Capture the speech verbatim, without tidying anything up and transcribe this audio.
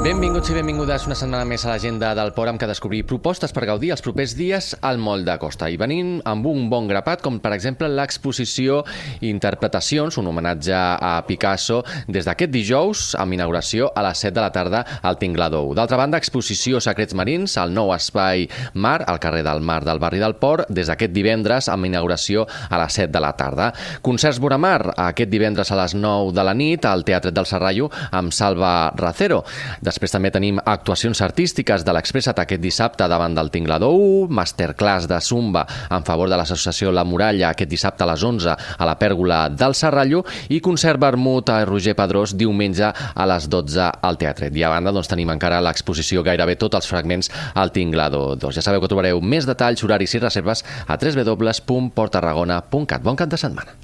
Benvinguts i benvingudes una setmana més a l'agenda del Port, amb què descobrir propostes per gaudir els propers dies al Moll de Costa. I venim amb un bon grapat, com per exemple l'exposició Interpretacions, un homenatge a Picasso, des d'aquest dijous, amb inauguració a les set de la tarda al Tingladou. D'altra banda, exposició Secrets Marins, al nou espai Mar, al carrer del Mar del barri del Port, des d'aquest divendres, amb inauguració a les set de la tarda. Concerts Boramar, aquest divendres a les nou de la nit, al Teatret del Serrallo, amb Salva Racero. Després també tenim actuacions artístiques de l'Expressat aquest dissabte davant del Tingladou, masterclass de Zumba en favor de l'associació La Muralla aquest dissabte a les onze a la Pèrgola del Serrallo i concert vermut a Roger Pedrós diumenge a les dotze al Teatret. I a banda doncs, tenim encara l'exposició gairebé tots els fragments al Tingladou dos. Ja sabeu que trobareu més detalls, horaris i reserves a w w w punt port tarragona punt cat. Bon cap de setmana.